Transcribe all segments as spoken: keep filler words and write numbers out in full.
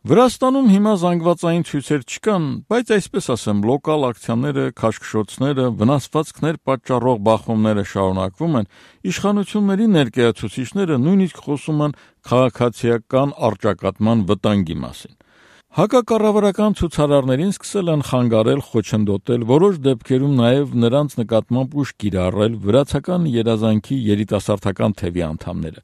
Վրաստանում հիմա զանգվածային ցույցեր չկան, բայց այսպես ասեմ, լոկալ ակցիաները, քաշքշոցները, վնասվածքներ պատճառող բախումները շարունակվում են, իշխանությունների ներկայացուցիչները նույնիսկ խոսում են քաղաքացիական առճակատման վտանգի մասին։ Հակակառավարական ցուցարարներին սկսել են խանգարել, խոչընդոտել, որոշ դեպքերում նաև նրանց նկատմամբ ուժ կիրառել վրացական երազանքի երիտասարդական թևի անդամները։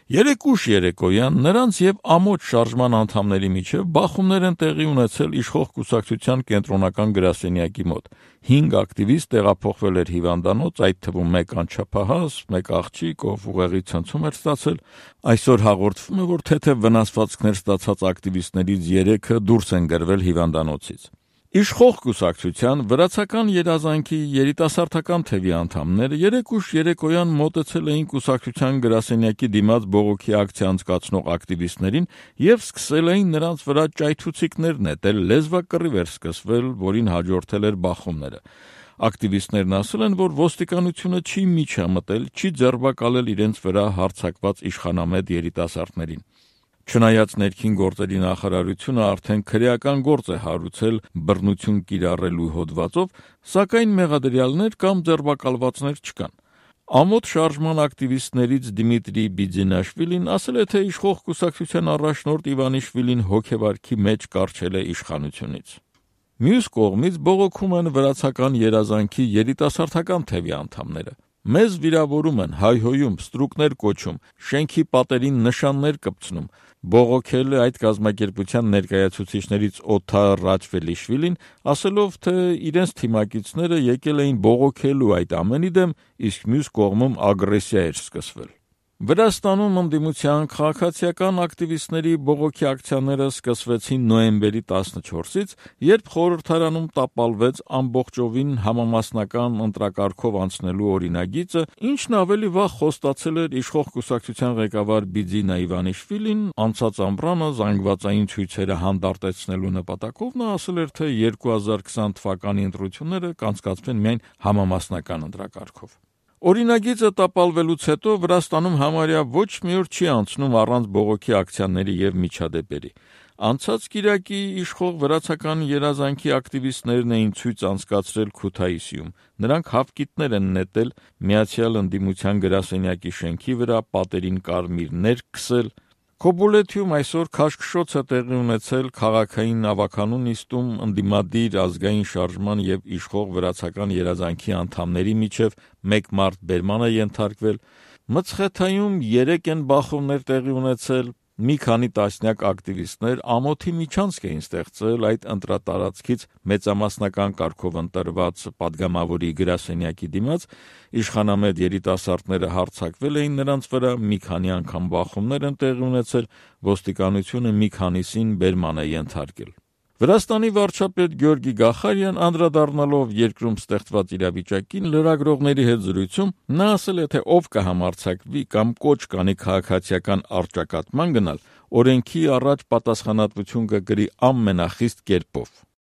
Երեկ ուշ երեկոյան նրանց եւ ամոթ շարժման անդամների միջև բախումներ են տեղի ունեցել իշխող կուսակցության կենտրոնական գրասենյակի մոտ։ Հինգ ակտիվիստ տեղափոխվել էր հիվանդանոց, այդ թվում մեկ անչափահաս, մեկ աղջիկ, ով ուղեղի ցնցում էր ստացել։ Այսօր հաղորդվում է, որ թեթև վնասվածքներ ստացած ակտիվիստներից երեքը դուրս են գրվել հիվանդանոցից։ Իշխող կուսակցության վրացական երազանքի երիտասարդական թևի անդամները երեկ ուշ երեկոյան մոտեցել էին կուսակցության գրասենյակի դիմաց բողոքի ակցիա անցկացնող ակտիվիստներին եւ սկսել էին նրանց վրա ճայթուցիկներ նետել, լեզվակռիվ էր սկսվել, որին հաջորդել էր բախումները։ Ակտիվիստներն ասել են, որ ոստիկանությունը չի միջամտել, չի ձերբակալել իրենց վրա հարձակված իշխանամետ երիտասարդներին։ Չնայած ներքին գործերի նախարարությունը արդեն քրեական գործ է հարուցել բռնություն կիրառելու հոդվածով, սակայն մեղադրյալներ կամ ձերբակալվածներ չկան։ Ամոթ շարժման ակտիվիստներից Դիմիտրի Բիձինաշվիլին ասել է, թե իշխող կուսակցության առաջնորդ Իվանիշվիլին հոգեվարքի մեջ կառչել է իշխանությունից։ Մյուս կողմից բողոքում են վրացական երազանքի երիտասարդական թևի անդամները։ Մեզ վիրավորում են, հայհոյում, ստրուկներ կոչում, շենքի պատերին նշաններ կպցնում։ Բողոքել է այդ կազմակերպության ներկայացուցիչներից Օթար Ռաչվելիշվիլին, ասելով, թե իրենց թիմակիցները եկել էին բողոքելու այդ ամենի դեմ, իսկ մյուս կողմում ագրեսիա էր սկսվել։ Վրաստանում ընդդիմության քաղաքացիական ակտիվիստների բողոքի ակցիաները սկսվեցին նոյեմբերի տասնչորսից, երբ խորհրդարանում տապալվեց ամբողջովին համամասնական ընտրակարգով անցնելու օրինագիծը, ինչն ավելի վաղ խոստացել էր իշխող կուսակցության ղեկավար Բիձինա Իվանիշվիլին, անցած ամռանը զանգվածային ցույցերը հանդարտեցնելու նպատակով նա ասել էր, թե երկու հազար քսան թվականի ընտրությունները կանցկացվեն միայն համամասնական ընտրակարգով։ Օրինագիծը տապալվելուց հետո Վրաստանում համարյա ոչ մի օր չի անցնում առանց բողոքի ակցիաների եւ միջադեպերի։ Անցած կիրակի իշխող վրացական երազանքի ակտիվիստներն էին ցույց անցկացրել Քութայիսիում։ Նրանք հավկիթներ են նետել Միացյալ ընդդիմության գրասենյակի շենքի վրա, պատերին կարմիրներ քսել։ Քոբուլեթիում այսօր քաշքշոց է տեղի ունեցել քաղաքային ավականու նիստում ընդդիմադիր ազգային շարժման եւ իշխող վրացական երազանքի անդամների միջև մեկ մարդ բերման է ենթարկվել։ Մցխեթայում երեք են բախումներ տեղի ունեցել։ Մի քանի տասնյակ ակտիվիստներ ամոթի միջանցք էին ստեղծել այդ ընտրատարածքից մեծամասնական կարգով ընտրված падգամավորի գրասենյակի դիմաց, իշխանամետ երիտասարդները հարձակվել էին նրանց վրա, մի քանի անգամ բախումներ են տեղի ունեցել, ոստիկանությունը մի քանիսին բերման է ենթարկել։ Վրաստանի վարչապետ Գյորգի Գախարյան անդրադառնալով երկրում ստեղծված իրավիճակին լրագրողների հետ զրույցում նա ասել է, թե ով կհամարձակվի կամ կոչ կանի քաղաքացիական առճակատման գնալ, օրենքի առաջ պատասխանատվություն կկրի ամենախիստ կերպով։